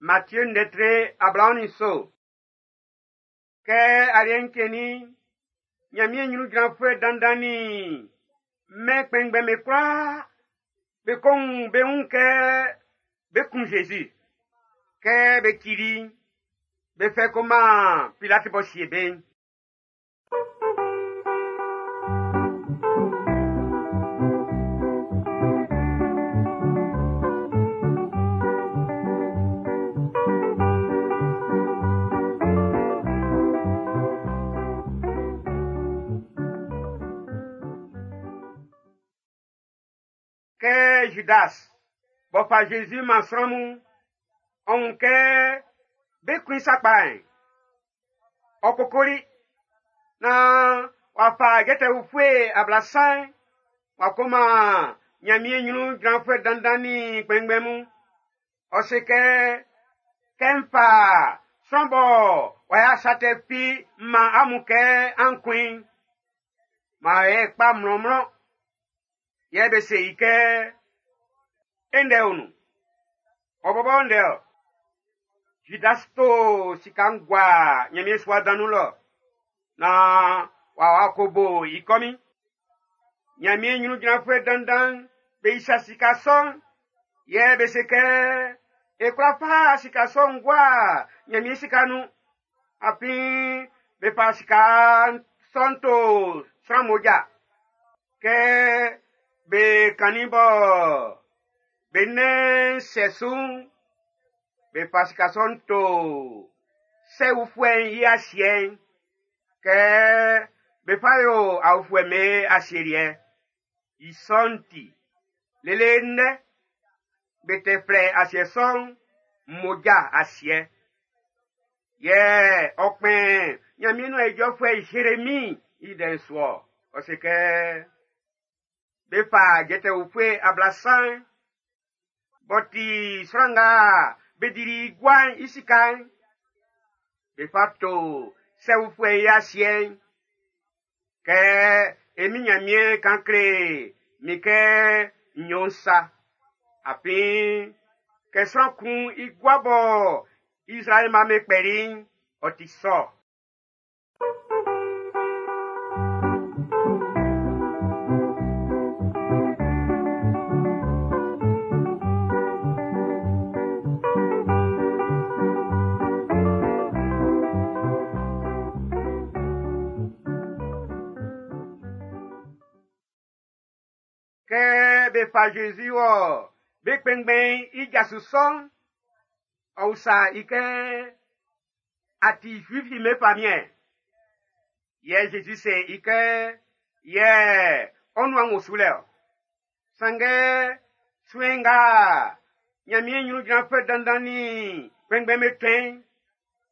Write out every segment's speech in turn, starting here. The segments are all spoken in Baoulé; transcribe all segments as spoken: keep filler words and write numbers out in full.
Matthieu ndɛtre ablaɔn so. Kɛ aliɛ'n cɛnnin'n, Ɲanmiɛn ɲrun jranfuɛ dandan nin mɛn kpɛnngbɛn'm be kwlaa be ko wun be wun kɛ be kun Zezi. Kɛ be cili i'n, be fɛ ko man Pilati b'ɔ sie be'n. Kɛ Judas b'ɔ fa Zezi man sran mun'n, ɔ wun kɛ be kun i sakpa'n, ɔ kokoli naan w'a fa jɛtɛ ufue ablasan w'a ko man Ɲanmiɛn ɲrun jranfuɛ dandan nin kpɛnngbɛn mun. Ɔ se kɛ, kɛ n fa sran bɔ w'a ya sa tɛ fi m man amun kɛ an kun i'n, maan e kpa mlɔnmlɔn. Yɛ be se i kɛ, e ndɛ o nun. Ɔ bɔbɔ ndɛ ɔ. Judas to sika'n gua Ɲanmiɛn sua dan nun lɔ naan w'a wa ko bo i kɔmin. Ɲanmiɛn ɲrun jranfuɛ dandan be isa sika sɔ'n, yɛ be se kɛ, e kwla fa sika sɔ'n gua Ɲanmiɛn sika nun. Afin be fa sika sɔ'n to sran mmoja. Kɛ be kannin bɔ be nɛn sɛ su'n, be fa sika sɔ'n to sɛ ufuɛ'n i asiɛ'n kɛ be fa yo aofuɛ'm be asieliɛ. I sɔ'n ti, lele ndɛ, be tɛ flɛ asiɛ sɔ'n mmoja asiɛ. Yɛ ɔ kpɛn Ɲanmiɛn nuan ijɔfuɛ Zeremi i ndɛ'n su-ɔ. Ɔ se kɛ, be fa jɛtɛ ufue ablasan b'ɔ ti sran nga be dili gua'n i sika'n, be fa to sɛ ufuɛ'n i asiɛ'n. Kɛ e min Ɲanmiɛn kan kle min kɛ n yo'n sa. Afin kɛ sran kun i gua bɔ Israɛl mma be kpɛli'n, ɔ ti sɔ. Kɛ be fa Zezi wɔ be kpɛnngbɛn'n i jasu sɔ'n, ɔ usa i kɛ, a ti Zuifu'm be famiɛn? Yɛ Zezi se i kɛ, yɛ ɔ nuan wo su lɛ ɔ. Sanngɛ suen nga Ɲanmiɛn ɲrun jranfuɛ dandan nin kpɛnngbɛn'm be tɔn'n,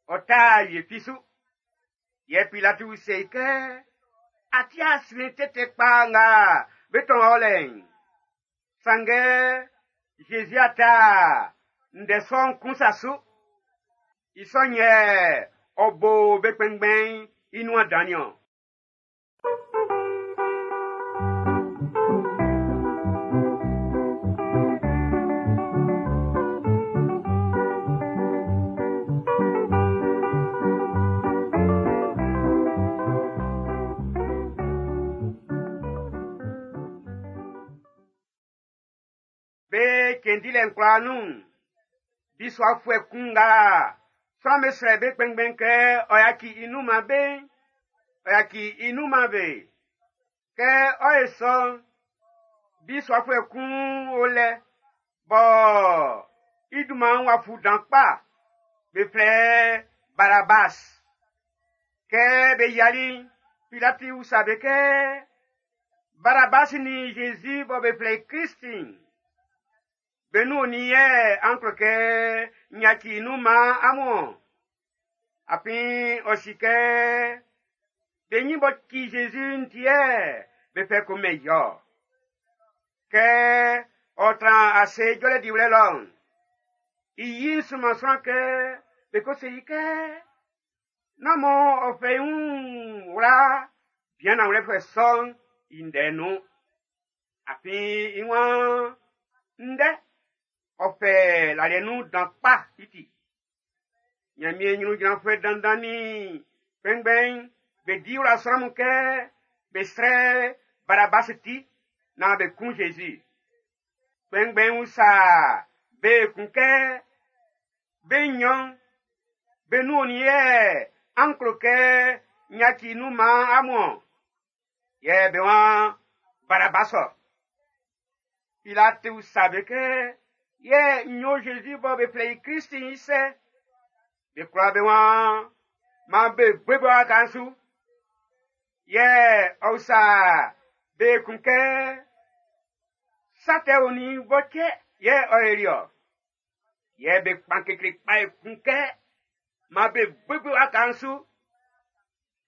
ɔ ta wie fi su. Yɛ Pilati se i kɛ, a ti asuen tɛtɛ kpa nga be tɔn ɔ lɛ'n. Sanngɛ Zezi a ta ndɛ sɔ'n kun sa su. I sɔ'n yɛ ɔ bo be kpɛnngbɛn'n i nuan dan niɔn. Be cɛn dilɛ'n kwlaa nun'n, bisuafuɛ kun nga sran'm be srɛ be kpɛnngbɛn kɛ ɔ yaci i nun man be'n, ɔ yaci i nun man be. Kɛ ɔ ye sɔ'n, bisuafuɛ kun o lɛ bɔ i dunman'n w'a fu dan kpa, be flɛ Barabas. Kɛ be yiali'n, Pilati usa be kɛ, Barabas nin Zezi bɔ be flɛ i Krist'n, be nun onin yɛ an klo kɛ n yaci i nun man amun-ɔn? Afin ɔ si kɛ be nyin b'ɔ ci Zezi'n ti yɛ be fɛ ko mɛn i-ɔ. Kɛ ɔ tran ase jɔlɛ diwlɛ lɔ'n, i yi'n sunman sran kɛ be ko se i kɛ, nán mɔ ɔ fɛ i wun wla bian nanwlɛfuɛ sɔ'n i ndɛ'n nun. Afin i waan ndɛ ɔ fɛ laliɛ nun dan kpa i ti. Ɲanmiɛn ɲrun jranfuɛ dandan nin kpɛnngbɛn'n be di wla sran mun kɛ be srɛ Barabasi ti naan be kun Zezi. Kpɛnngbɛn'n usa be kun kɛ be nɲɔn be nun onin yɛ an klo kɛ n yaci nun man amun ɔn? Yɛ be waan Barabas ɔ. Pilati usa be kɛ yɛ n yo Zezi bɔ be flɛ i Klist'n i sɛ? Be kwlaa be waan man be bobo i waka'n su. Yɛ ɔ usa be kun kɛ sa tɛ onin bɔ cɛ yɛ ɔ yoli ɔ? Yɛ be kpan kekle kpa ekun kɛ man be bobo i waka'n su.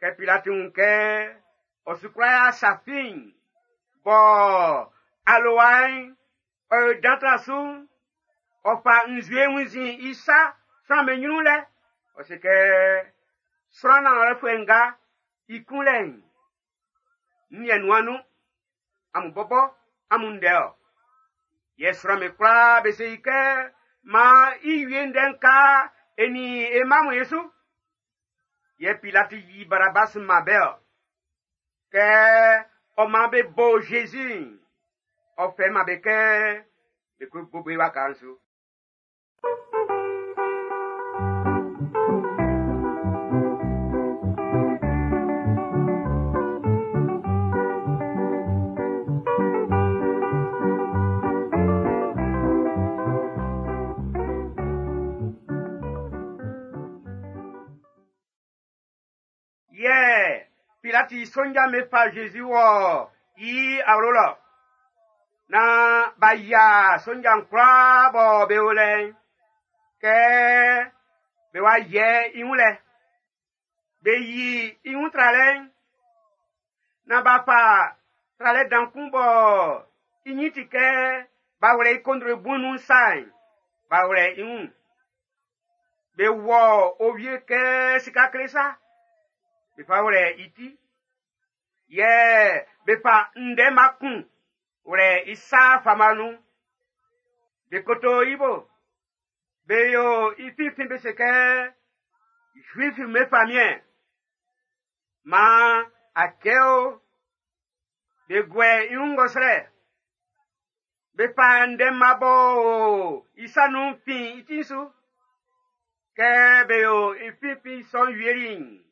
Kɛ Pilati wun kɛ ɔ su kwla ya sa fi'n bɔ alowa'n ɔ yo dan tra su'n, ɔ fa nzue wunnzin i sa sran'm be ɲrun lɛ. Ɔ se kɛ sran nanwlɛfuɛ nga i kunlɛ'n, n yɛ nuan nun, amun bɔbɔ amun ndɛ ɔ. Yɛ sran'm be kwlaa be se i kɛ maan i wie ndɛ'n ka e nin e mma mun e su. Yɛ Pilati yi Barabas man be ɔ. Kɛ ɔ man be bo Zezi'n, ɔ fɛ man be kɛ be ko bobo i waka'n su. Yɛ Pilati sonja'm be fa Zezi wɔ i awlo lɔ. Na b'a yia sonja'n kwlaa bɔ be o lɛ'n, kɛ be wa yɛ i wun lɛ. Be yi i wun tralɛ'n, na b'a fa tralɛ dan kun bɔ i nyin ti kɛ b'a wlɛ i kondro bu'n nun sa'n, b'a wlɛ i wun. Be wɔ owie kɛ sika kle sa, be fa wlɛ i ti. Yɛ be fa ndɛma kun wlɛ i sa fama nun. Be koto i bo. Be yo i finfin be se kɛ Zuif'm be famiɛn. Maan a kɛ o. Be guɛ i wun ngɔsrɛ. Be fa ndɛma bɔ o i sa nun fin i ti'n su. Kɛ be yo i finfin sɔ'n wieli'n,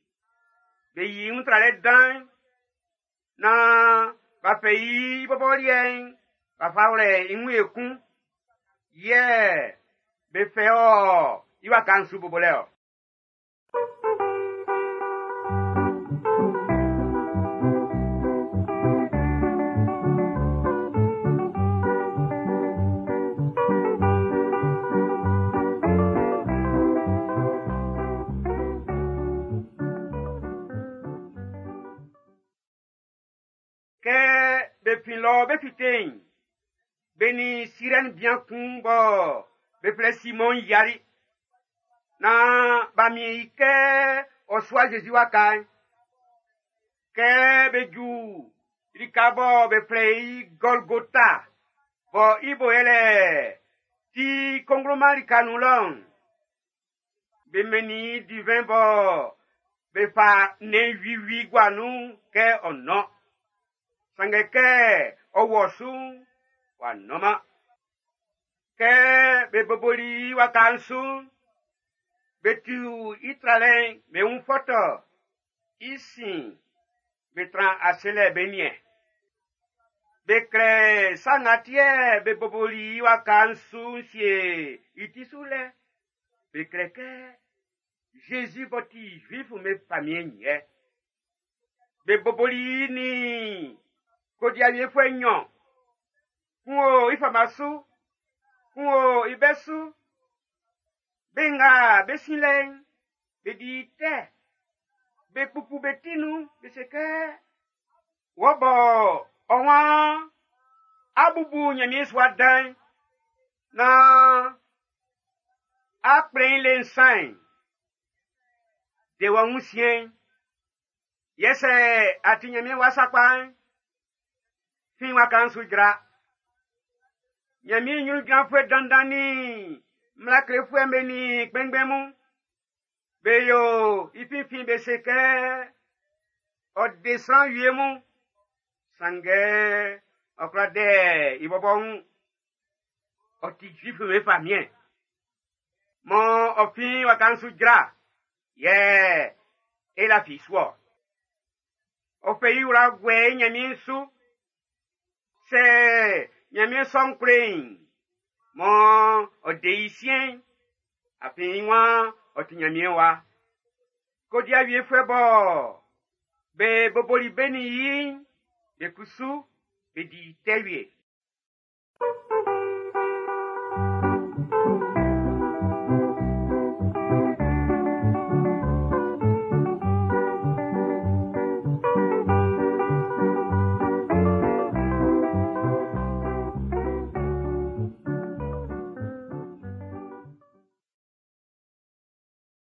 be yi i wun tralɛ dan'n, naan b'a fɛ i bɔbɔ liɛ'n, b'a fa wlɛ i wun ekun. Yɛ be fɛ ɔ i waka'n su bobolɛ ɔ. Kɛ be fin lɔ be fite'n, be nin Sirɛni bian kun bɔ be flɛ Simɔn yiali. Naan b'a miɛn i kɛ ɔ sua Zezi waka'n. Kɛ be ju lika bɔ be flɛ i Gɔlgota, bɔ i bo yɛlɛ ti kongloman lika nun lɔ'n, be mɛnnin i divin bɔ be fa nnɛn wiwi gua nun kɛ ɔ nɔn. Sanngɛ kɛ ɔ wɔ su'n, w'a nɔnman. Kɛ be boboli i waka'n su'n, be tu i tralɛ'n be wun fɔtɔ. I sin, be tran ase lɛ be niɛn. Be klɛ sa nga ti yɛ be boboli i waka'n su'n sie i ti su lɛ. Be klɛ kɛ Zezi b'ɔ ti Zuif'm be famiɛn'n yɛ. Be boboli i nin kodiawiefuɛ nnyɔn. Kun o i fama su, kun o i bɛ su. Be nga be sin lɛ'n, be di tɛ. Be kpukpu be ti nun, be se kɛ, wɔ bɔ ɔ waan a bubu Ɲanmiɛn sua dan'n, naan a kplɛn i le nsan'n, de wɔ wun siɛn'n. Yɛ sɛ a ti Ɲanmiɛn wa sakpa'n, fin waka'n su jra. Ɲanmiɛn ɲrun jranfuɛ dandan nin mmla klefuɛ'm be nin kpɛnngbɛn mun, Be yo i finfin be se kɛ ɔ de sran wie mun, sanngɛ ɔ kwla dɛ i bɔbɔ wun. Ɔ ti Zuifu'm be famiɛn. Mɔ ɔ fin waka'n su jra, yɛ e lafi su ɔ. Ɔ fɛ i wla guɛ i Ɲanmiɛn su. Sɛ Ɲanmiɛn sɔ'n kle i'n, mɔ ɔ de i siɛn'n, afin i waan ɔ ti Ɲanmiɛn wa. Kodiawiefuɛ bɔ be boboli be nin yi'n, be kusu be di tɛ wie.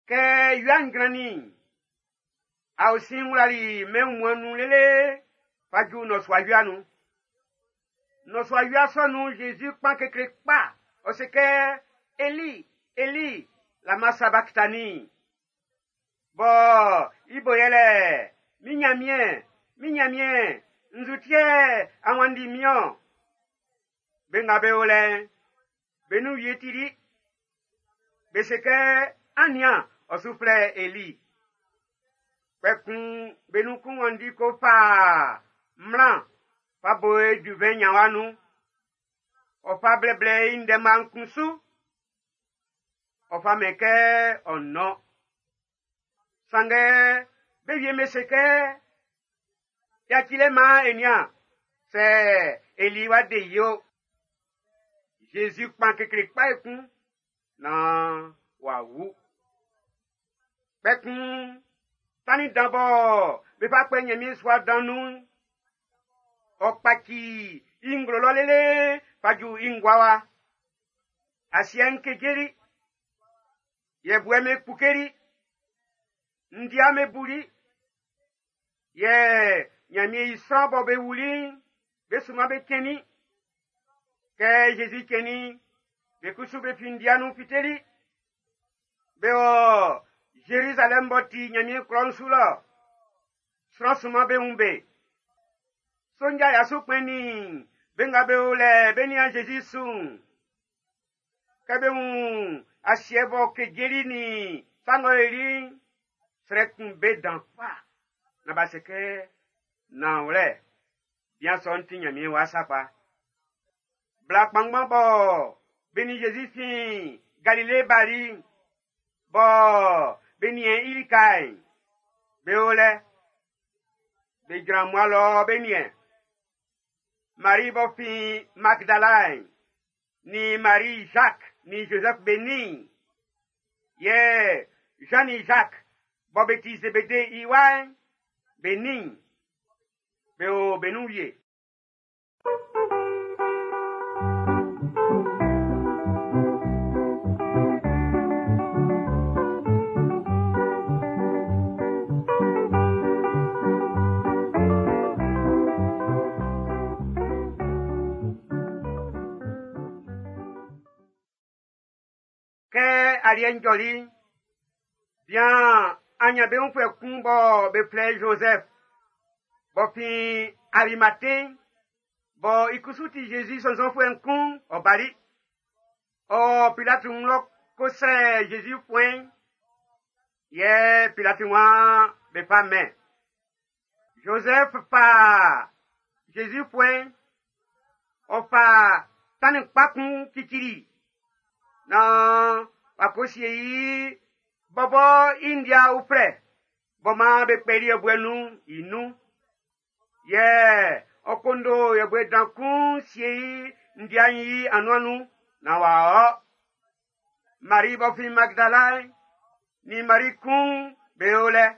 Kɛ wia'n jrannin'n, aosin'n wlali mɛn wunmuan'n nun lele fa ju nnɔsua wia nun. Nnɔsua wia sɔ nun'n, Zezi kpan kekle kpa, ɔ se kɛ, Eli, Eli, lama sabaktani. Bɔ i bo yɛlɛ, min Nyanmiɛn, min Nyanmiɛn, nzu ti yɛ a wanndi min-ɔn? Be nga be o lɛ'n, be nun wie tili. Be se kɛ, an nian, ɔ su flɛ Eli. Kpɛkun be nun kun wanndi ko fa mmla fa bo e duvɛn nyanwa nun. Ɔ fa blɛblɛ i ndɛma'n kun su. Ɔ fa mɛn kɛ ɔ nɔn. Sanngɛ be wie me se kɛ, yacilɛ maan e nian, sɛ Eli wa de yi o. Jésus kpan kekle kpa ekun, naan w'a wu. Kpɛkun tannin dan bɔ be fa kpɛ Ɲanmiɛn sua dan nun'n, ɔ kpaci i nglo lɔ lele fa ju i ngua wa. Asiɛ'n kejeli, yɛbuɛ me kpukeli, ndia me buli, yɛ Ɲanmiɛn i sran bɔ be wuli'n, be suma be cɛnnin. Kɛ Jésus cɛnnin'n, be kusu be fin ndia nun fiteli. Be wɔ Jérusalem b'ɔ ti Ɲanmiɛn klɔ'n su lɔ. Sran sunman be wun be. Sonja ya su kpɛn nin be nga be o lɛ be nian Jésus su'n. Kɛ be wun asiɛ bɔ kejeli nin sa ng'ɔ yoli'n, srɛ kun be dan kpa. Na b'a se kɛ, nanwlɛ, bian sɔ'n ti Ɲanmiɛn wa sakpa. Bla kpanngban bɔ be nin Jésus fin Galile bali'n, bɔ be niɛn i lika'n, be o lɛ. Be jran mmua lɔ be niɛn. Marie b'ɔ fin Magdala'n, ni Marie Jacques ni Joseph be nin. Yɛ Jean ni Jacques bɔ be ti Zébédée i wa'n, be nin. Be o be nun wie. Kɛ aliɛ'n jɔli'n, bian anyanbeunfuɛ kun bɔ be flɛ Joseph, b'ɔ fin Arimathée, bɔ i kusu ti Jésus sɔnnzɔnfuɛ'n kun, ɔ bali. Ɔ Pilati wun lɔ ko srɛ Jésus fuɛn'n, yɛ Pilati waan be fa mɛn. Joseph fa Jésus fuɛn'n, ɔ fa tannin kpa kun cicili, naan w'a ko sie i bɔbɔ i ndia uflɛ bɔ maan be kpɛli yɛbuɛ nun i nun. Yɛ ɔ kondo yɛbuɛ dan kun sie i ndia'n i anuan nun naan w'a ɔ. Marie b'ɔ fin Magdala ni Marie kun be o lɛ.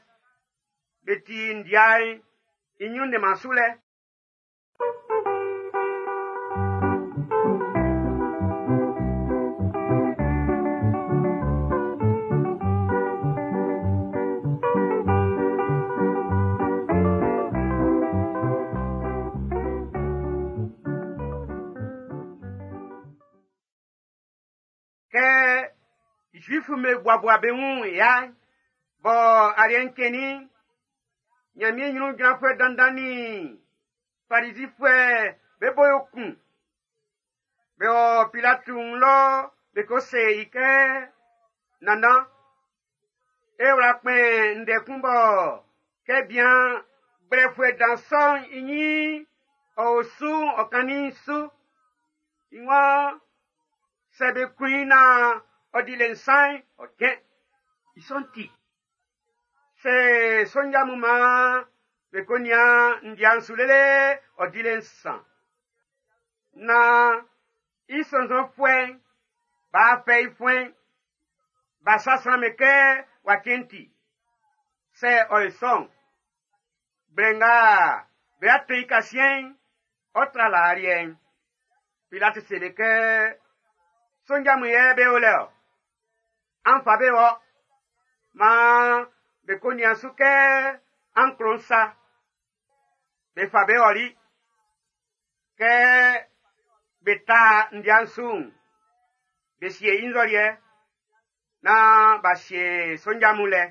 Be ti ndia'n i ɲrun ndɛnman su lɛ. Kɛ Zuifu me buabua be wun ya, Bɔ aliɛ'n cɛnnin'n, Ɲanmiɛn ɲrun jranfuɛ dandan nin Farizifuɛ be bo yo kun. Be wɔ Pilati wun lɔ be ko se i kɛ, nannan, e wla kpɛn ndɛ kun bɔ kɛ bian gblɛfuɛ dan sɔ'n i ɲin ɔ o su'n ɔ kannin'n su. I waan sɛ be kun i naan ɔ di le nsan'n, ɔ cɛn. I sɔ'n ti, sɛ sonja mun maan be ko nian ndia'n su lele ɔ di le nsan. Naan i sɔnnzɔnfuɛ'n b'a fɛ i fuɛn'n, b'a sa sran'm be kɛ w'a cɛn ti. Sɛ ɔ yo sɔ'n, gblɛ nga be ato i kasiɛn'n, ɔ tra laa liɛ'n. Pilati seli kɛ, sonja mun yɛ be o lɛ ɔ. An fa be wɔ. Maan be ko nian su kɛ an klo'n sa. Be fa be ɔli. Kɛ be ta ndia'n su'n, be sie i nzɔliɛ naan b'a sie sonja mun lɛ.